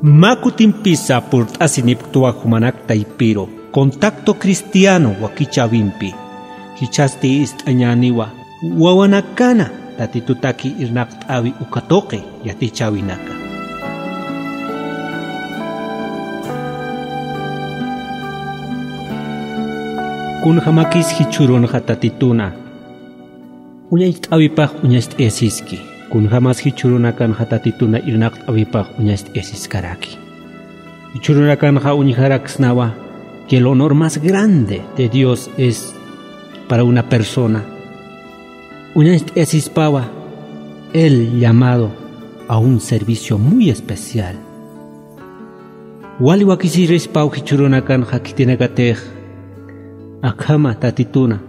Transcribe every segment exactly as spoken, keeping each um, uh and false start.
Mä kutimpisa purt'asinipktwa jumanak taypiru Contacto Cristiano wakichäwimpi. Jichhasti ist'añäniwa wawanakana Tatitutaki irnaqt'äwi uka tuqi yatichäwinaka. Kunjamakis jichhürunxa Tatituna uñacht'äwipax uñacht'ayasiski. Kunjamas jichhürunakanxa Tatituna irnaqt'äwipax uñacht'ayasiskaraki. Jichhürunakanxa uñjaraksnawa que el honor más grande de Dios es para una persona. Uñacht'ayasispawa el llamado a un servicio muy especial. Wali wakisirispaw jichhürunakanxa khitinakatix akhama Tatituna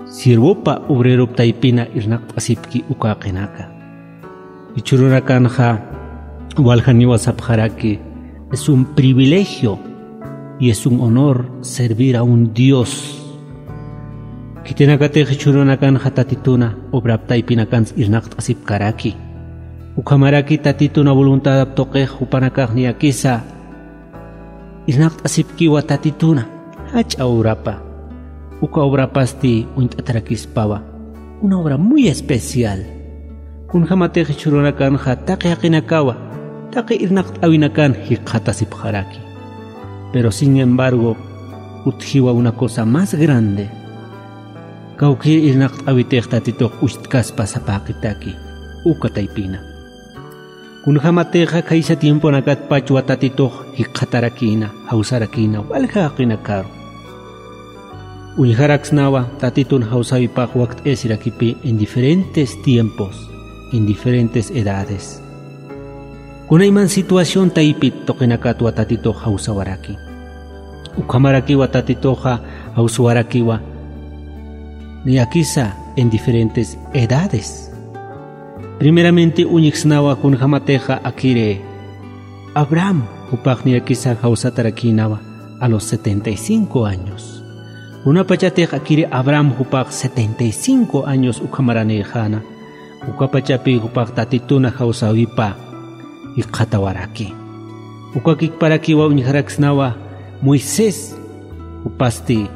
siervopa obreropa taypina irnaqt'asipki uka jaqinaka. Jichhürunakanxa waljaniwa sapxaraki, es un privilegio y es un honor servir a un Dios. Khitinakatix jichhürunakanxa Tatituna obrap taypinakansa irnaqt'asipkaraki. Ukhamaraki Tatituna voluntadap tuqix jupanakax niyakisa irnaqt'asipkiwa Tatituna jach'a obrapa. Uka obrapasti uñt'atarakispawa una obra muy especial. Kunjamatix jichhürunakanxa taqi jaqinakawa taqi irnaqt'äwinakan jikxatasipxaraki. Pero sin embargo utjiwa una cosa más grande. Kawkïr irnaqt'äwitix Tatitux ucht'kaspa sapaqitaki uka taypina. Kunjamatixa khaysa tiemponakatpachwa Tatitux jikxatarakïna, jawsarakïna walja jaqinakaru. Uñjaraksnawa Tatitun jawsäwipax wakt'ayasirakipï en diferentes tiempos, en diferentes edades. Kunayman situación taypit tuqinakatwa Tatitux jawsawaraki. Ukhamarakiwa Tatituxa jawsawarakiwa niyakisa en diferentes edades. Primeramente uñjsnawa kunjamatixa akiri Abraham jupax niyakisa jawsatarakïnawa a los setenta y cinco años. Kunapachatix akiri Abraham jupax setenta y cinco años ukhamaranïxäna. Ukapachapï jupax Tatituna jawsäwipa jikxatawaraki. Ukakikparakiwa uñjaraksnawa Moisés jupasti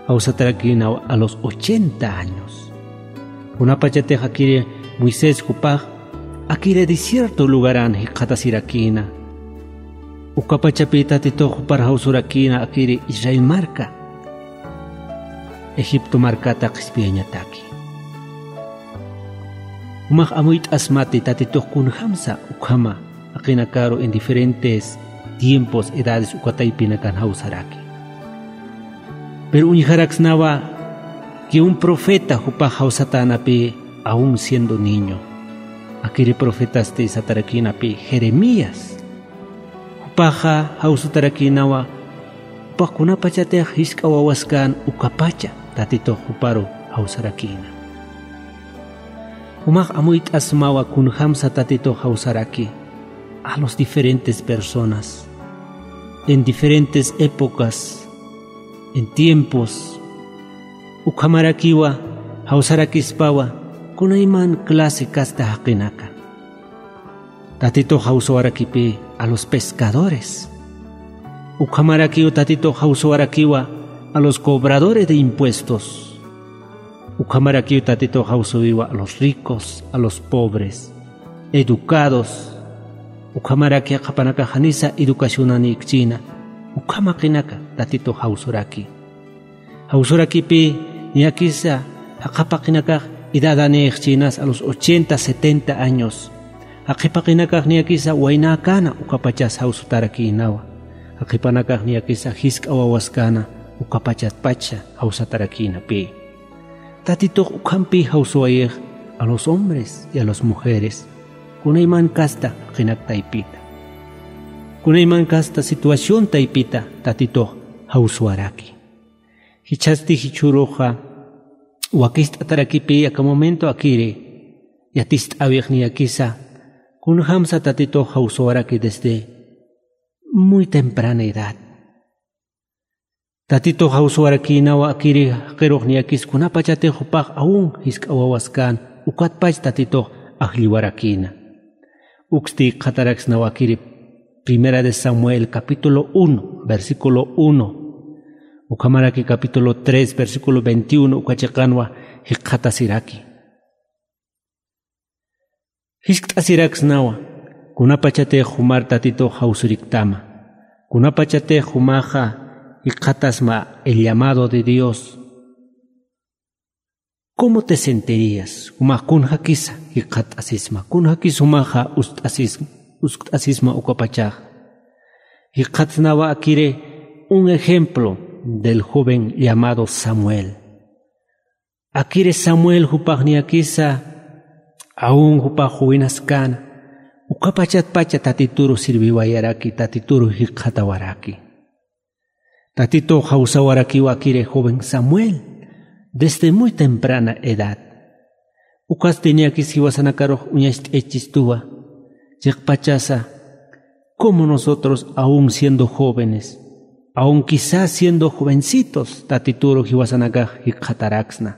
jawsatarakïnawa a los ochenta años. Kunapachatix akiri Moisés jupax akiri desierto lugaran jikxatasirakïna. Ukapachapï Tatitux jupar jawsurakïna akiri Israel marka Egipto markata qhispiyañataki. Jumax amuyt'asmati Tatitux kunjamsa ukhama jaqinakaru en diferentes tiempos, edades uka taypinakan jawsaraki. Pero uñjaraksnawa que un profeta jupax jawsatänapï aún siendo niño. Akiri profetasti satarakïnapï Jeremías. Jupaxa jawsatarakïnawa jupax kunapachatix jisk'a wawaskän ukapacha Tatitux juparu jawsarakïna. Jumax amuyt'asmawa kunjamsa Tatitux jawsaraki a los diferentes personas, en diferentes épocas, en tiempos. Ukhamarakiwa jawsarakispawa kunayman clase casta jaqinaka. Tatitux jawsawarakipï a los pescadores. Ukhamarakiw Tatitux jawsawarakiwa a los cobradores de impuestos. Ukhamarakiw Tatitux jawsawiwa a los ricos, a los pobres, educados. Ukhamaraki jaqhipanakax janisa educacionanïkchïna. Ukham jaqinaka Tatitux jawsuraki. Jawsurakipï niyakisa jaqhapaqinakax edadanïxchïnas a los ochenta, setenta años. Jaqhipaqinakax niyakisa waynäkäna ukapachas jawsutarakïnawa. Jaqhipanakax niyakisa jisk'a wawaskäna ukapachatpacha jawsatarakïnapï. Tatitux ukhampï jawsuwayix a los hombres y a las mujeres. Kunayman casta jaqinak taypita. Kunayman casta situación taypita Tatitux jawsuwaraki. Jichhasti jichhüruxa wakist'atarakipï aka momento akiri yatist'äwix niyakisa kunjamsa Tatitux jawsawaraki desde muy temprana edad. Tatitux jawsawarakïnawa akiri jaqirux niyakis kunapachatix jupax aún jisk'a wawaskän ukatpach Tatitux ajlliwarakïna. Uksti jikxataraksnawa akiri Primera de Samuel, capítulo uno, versículo uno, ukhamaraki capítulo tres, versículo veintiuno, uka chiqanwa jikxatasiraki. Jiskt'asiraksnawa, kunapachatix jumar Tatitux jawsuriktama, kunapachatix jumaxa jikxatasma el llamado de Dios. ¿Cómo te sentirías? Jumax kunjakisa jikxat'asisma, kunjakis jumaxa ust'asis-, uskt'asisma ukapachax. Jikxatsnawa akiri un ejemplo del joven llamado Samuel. Akiri Samuel jupax niyakisa, aún jupax juwinaskäna, ukapachatpacha Tatituru sirviwayaraki, Tatituru jikxatawaraki. Tatitux jawsawarakiwa akiri joven Samuel, desde muy temprana edad. Ukasti niyakis jiwasanakarux uñacht'ayachistuwa, chiqpachasa, como nosotros aún siendo jóvenes, aún quizás siendo jovencitos, Tatituru jiwasanakax jikxataraksna.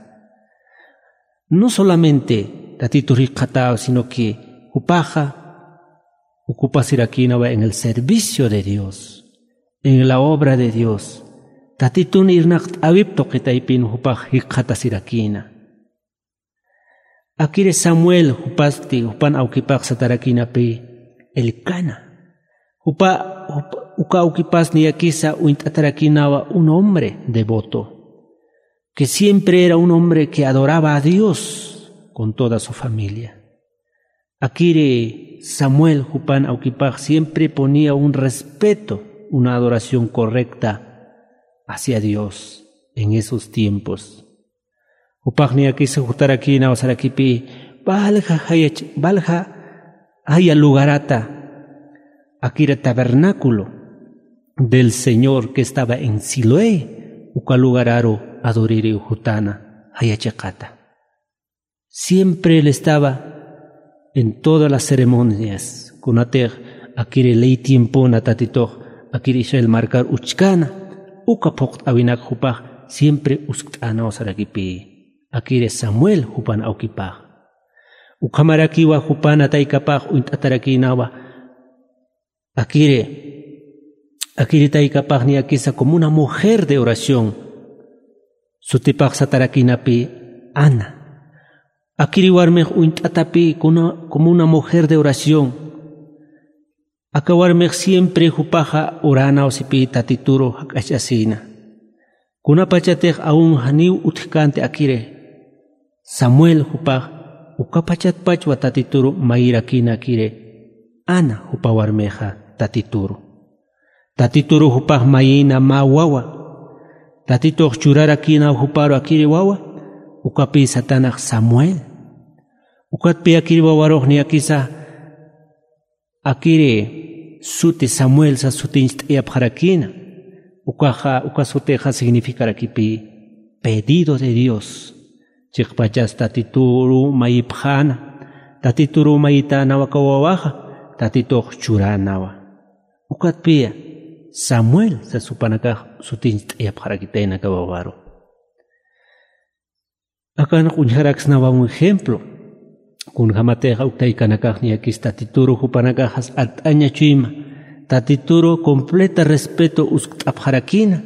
No solamente Tatitur jikxataw, sino que jupaxa ocupasirakïnawa en el servicio de Dios, en la obra de Dios. Tatitun irnaqt'äwip tuqi taypin jupax jikxatasirakïna. Akiri Samuel jupasti, jupan awkipax satarakïnapï, Elcana. Jupa, jupa, uka awkipas niyakisa uñt'atarakïnawa un hombre devoto, que siempre era un hombre que adoraba a Dios con toda su familia. Akiri Samuel jupan awkipax siempre ponía un respeto, una adoración correcta hacia Dios en esos tiempos. Jupax niyakisa jutarakïnaw sarakipï, valja jaya ch-, valja jaya lugarata, akiri tabernáculo del Señor que estaba en Siloé, uka lugararu adoririw jutana jaya chiqata. Siempre él estaba en todas las ceremonias, kunatix akiri ley tiempona Tatitux akiri Israel markar uchkana, uka phuqt'äwinak jupax siempre uskt'änaw sarakipï, akiri Samuel jupan awkipax. Ukhamarakiwa jupana taykapax uñt'atarakïnawa, akiri, akiri taykapax niyakisa como una mujer de oración, sutipax satarakïnapï Ana. Akiri warmix uñt'atapï kuna-, como una mujer de oración. Aka warmix siempre jupaxa oränaw sipï Tatituru jak'achasïna. Kunapachatix aún janiw utjkänti akiri Samuel jupax, ukapachatpachwa Tatituru mayirakïna akiri Ana jupa warmixa Tatituru. Tatituru jupax mayïna mä wawa. Tatitux churarakïnaw juparu akiri wawa, ukapï satanax Samuel. Ukatpï akiri wawarux niyakisa akiri suti Samuel sas sutiñcht'ayapxarakïna. Ukaxa, uka sutixa significarakipï pedido de Dios. Chiqpachas Tatituru mayipxäna, Tatituru mayitänawa aka wawaxa, Tatitux churänawa. Ukatpï Samuel sas jupanakax sutiñcht'ayapxarakitayna aka wawaru. Akanx uñjaraksnawa un ejemplo. Kunjämatix uk taykanakax niyakis Tatituru jupanakaxas art'aña chuyma, Tatituru completa respeto uskt'apxarakïna,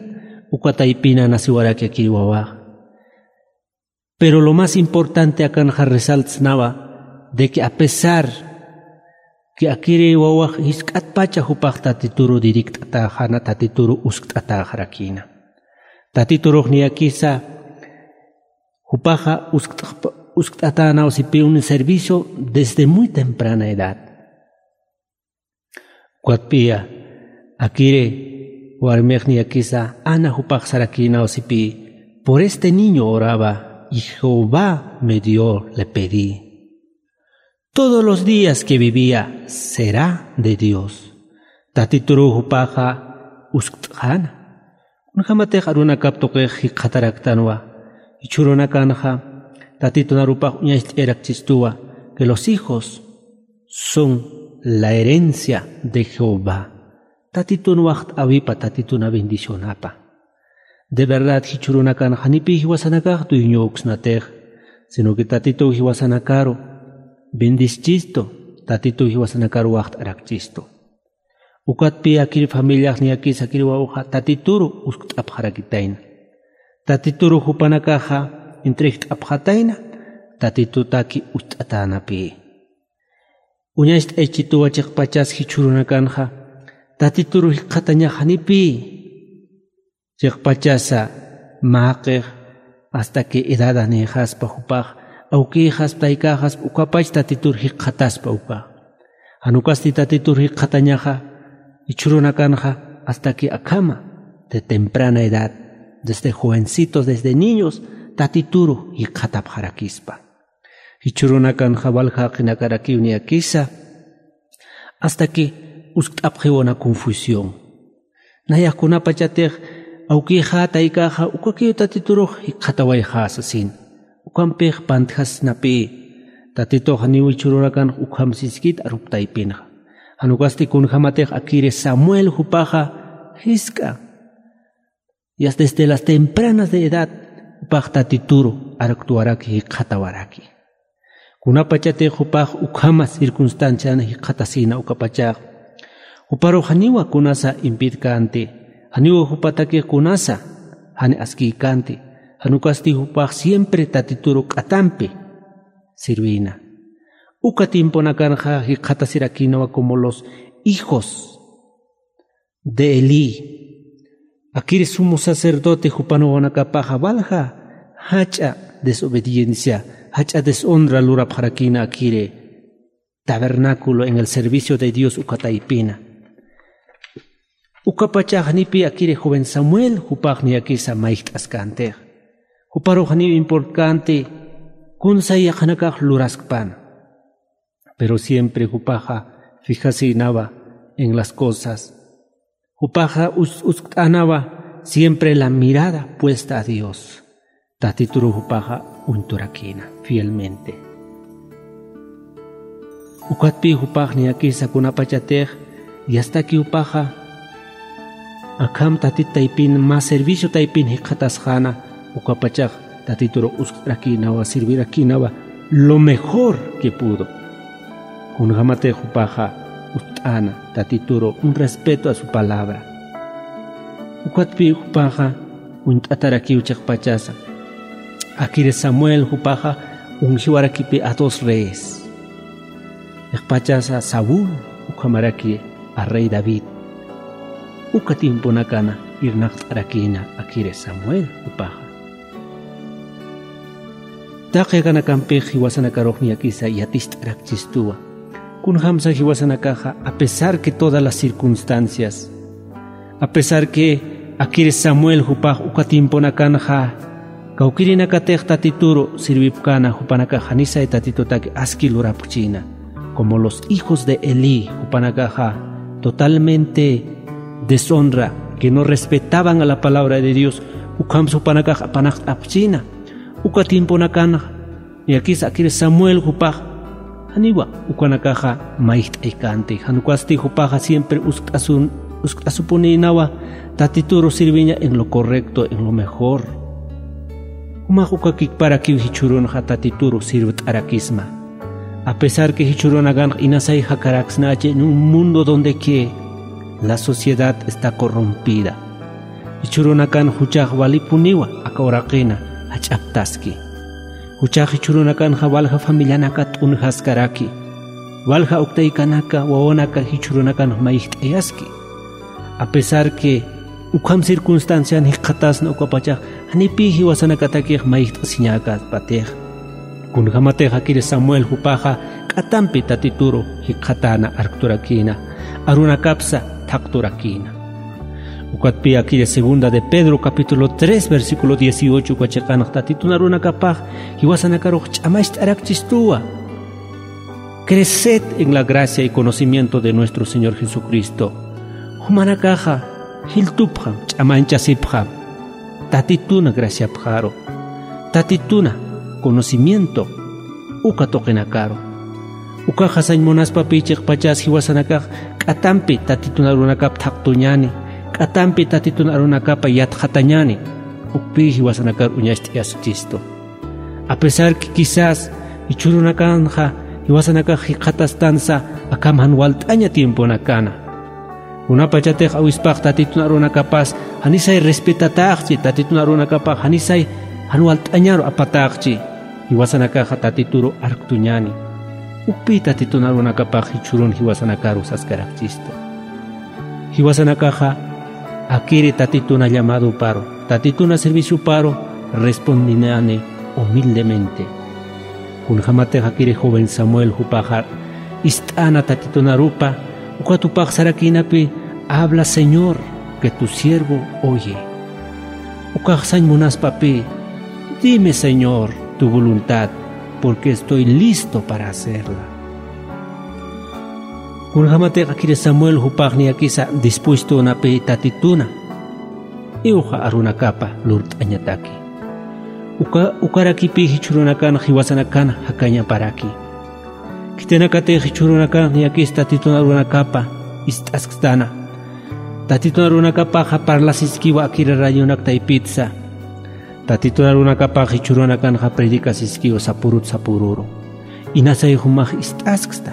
uka taypina nasiwaraki akiri wawax. Pero lo más importante akanxa resaltsnawa de que a pesar que akiri wawax jisk'atpacha jupax Tatituru dirikt'atäxäna, Tatituru uskt'atäxarakïna. Tatiturux niyakisa jupaxa uskt'xp-, uskt'atänaw sipï un servicio desde muy temprana edad. Ukatpï akiri warmix niyakisa Ana jupax sarakïnaw sipï, por este niño oraba y Jehová me dio, le pedí. Todos los días que vivía será de Dios. Tatituru jupaxa uskt'xäna. Kunjämatix arunakap tuqix jikxataraktanwa, jichhürunakanxa Tatitun arupax uñacht'ayarakichistuwa que los hijos son la herencia de Jehová. Tatitun waxt'äwipa, Tatitun bendicionapa. De verdad jichhürunakan janipï jiwasanakax dueñöksnatix, sino que Tatituw jiwasanakaru bendischistu, Tatituw jiwasanakaru waxt'arakchistu. Ukatpï akir familiax niyakis akir wawxa Tatituru uskt'apxarakitayna. Tatituru jupanakaxa entregt'apxatayna, Tatitutaki ucht'atänapï. Uñacht'aychituwa chiqpachas jichhürunakanxa Tatituru jikxatañax janipï. Chiqpachasa mäqix hasta que edad janïxaspa jupax, awkïxaspa, taykäxaspa, ukapach Tatitur jikxataspa ukax. Jan ukasti Tatitur jikxatañaxa jichhürunakanxa hasta que akhama, de temprana edad, desde jovencitos, desde niños, Tatituru jikxatapxarakispa. Jichhürunakanxa walja jaqinakarakiw niyakisa, hasta que uskt'apxiw una confusión. Nayax kunapachatix awkïxa, taykäxa ukakiw Tatiturux jikxatawayxä sasin. Ukampix pantjasnapï. Tatitux janiw jichhürunakanx ukham siskit arup taypinxa. Jan ukasti kunjämatix akiri Samuel jupaxa jisk'a. Ya desde las tempranas de edad, jupax Tatituru arkt'awaraki, jikxatawaraki. Kunapachatix jupax ukhama circunstancian jikxatasïna ukapachax, juparux janiwa kunasa impidkänti, janiwa jupatakix kunasa jan askïkänti, jan ukasti jupax siempre Tatituru k'atampi sirvïna. Uka tiemponakanxa jikxatasirakïnawa como los hijos de Elí. Akiri sumo sacerdote jupanakapaxa walja jach'a desobediencia, jach'a deshonra lurapxarakïna akiri tabernáculo, en el servicio de Dios uka taypina. Ukapachax janipï akiri joven Samuel jupax niyakisa mayjt'askänti. Juparux janiw importkänti kunsa yaqhanakax luraskpana. Pero siempre jupaxa fijasïnawa en las cosas. Jupaxa us-, uskt'änawa siempre la mirada puesta a Dios. Tatituru jupaxa uñturakïna fielmente. Ukatpï jupax niyakisa kunapachatix yastaki jupaxa akham Tatit taypin, mä servicio taypin jikxatasxäna, ukapachax Tatituru uskt'arakïnawa, sirvirakïnawa lo mejor que pudo. Kunjämatix jupaxa uskt'äna Tatituru, un respeto a su palabra. Ukatpï jupaxa uñt'atarakiw chiqpachasa. Akiri Samuel jupaxa ungiwarakipï a dos reyes. Chiqpachasa Saúl, ukhamaraki a rey David. Uka tiemponakana irnaqt'arakïna akiri Samuel jupaxa. Taqi akanakampix jiwasanakarux niyakisa yaticht'arakchistuwa. Kunjamsa jiwasanakaxa, a pesar que todas las circunstancias, a pesar que akiri Samuel jupax uka tiemponakanxa kawkïrinakatix Tatituru sirvipkäna, jupanakax janisay Tatitutaki aski lurapxchïna. Como los hijos de Elí, jupanakaxa totalmente deshonra, que no respetaban a la palabra de Dios, ukhamsa jupanakax apanaqt'apxchïna. Uka tiemponakanxa, niyakisa akiri Samuel jupax, janiwa ukanakaxa mayjt'aykänti, jan ukasti jupaxa siempre uskt'asun-, uskt'asupunïnawa Tatituru sirviña en lo correcto, en lo mejor. Jumax ukakikparakiw jichhürunxa Tatituru sirvt'arakisma. A pesar que jichhürunakanx inasay jakaraksnachi en un mundo donde que la sociedad está corrompida. Jichhürunakan juchax walipuniwa aka uraqina jach'aptaski. Juchax jichhürunakanxa walja familianaka t'unjaskaraki. Walja uktaykanaka, wawanaka jichhürunakanx mayjt'ayaski. A pesar que ukham circunstancian jikxatasna ukapachax, janipï jiwasanakatakix mayjt'asiñäkapatix. Kunjämatix akiri Samuel jupaxa k'atampi Tatituru jikxatäna arkturakïna, arunakapsa thaqturakïna. Ukatpï akiri segunda de Pedro capítulo tres versículo dieciocho uka chiqanx Tatitun arunakapax jiwasanakarux ch'amacht'arakchistuwa. Creced en la gracia y conocimiento de nuestro Señor Jesucristo. Jumanakaxa jiltupxam, ch'amañchasipxam Tatituna graciapxaru, Tatituna conocimiento uka tuqinakaru. Ukaxa sañ munaspapï chiqpachas jiwasanakax k'atampi Tatitun arunakap thaqtuñäni, k'atampi Tatitun arunakapa yatxatañäni, ukpï jiwasanakar uñacht'ayaskchistu. A pesar que quizás jichhürunakanxa jiwasanakax jikxatastansa akham jan walt'aña tiemponakana. Kunapachatix awispax tatitun arunakapas janisay respetataxchi, tatitun arunakapax janisay jan walt'añaru apataxchi. Jiwasanakaxa tatituru arktuñani. Ukpi tatitun arunakapax jichhürun jiwasanakaru saskarakchistu. Jiwasanakaxa akiri tatituna llamadoparu, tatituna servicioparu respondinani humildemente. Kunjämatix akiri joven Samuel jupaxa ist'äna tatitun arupa, ukat jupax sarakïnapï: "Habla, Señor, que tu siervo oye." Ukax sañ munaspapï: "Dime, Señor, tu voluntad, porque estoy listo para hacerla." Kunjämatix akiri Samuel jupax niyakisa dispuestönapï tatituna iwxa arunakapa lurt'añataki. Uka, ukarakipï jichhürunakan jiwasanakan jakañaparaki. Khitinakatix jichhürunakan niyakis tatitun arunakapa ist'askstana. Tatitun arunakapaxa parlasiskiwa akiri radionak taypitsa. Tatitun arunakapax jichhürunakanxa predicasiskiwa sapürut sapüruru. Inasay jumax ist'asksta.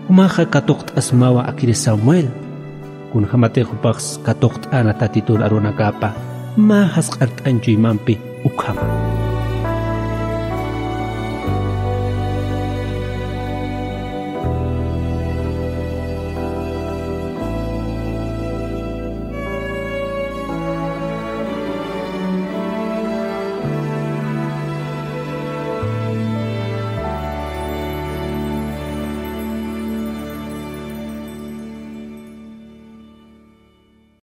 Jumaxa katuqt'asmawa akiri Samuel. Kunjämatix jupax katuqt'äna tatitun arunakapa, mä jasq'art'añ chuymampi ukhama.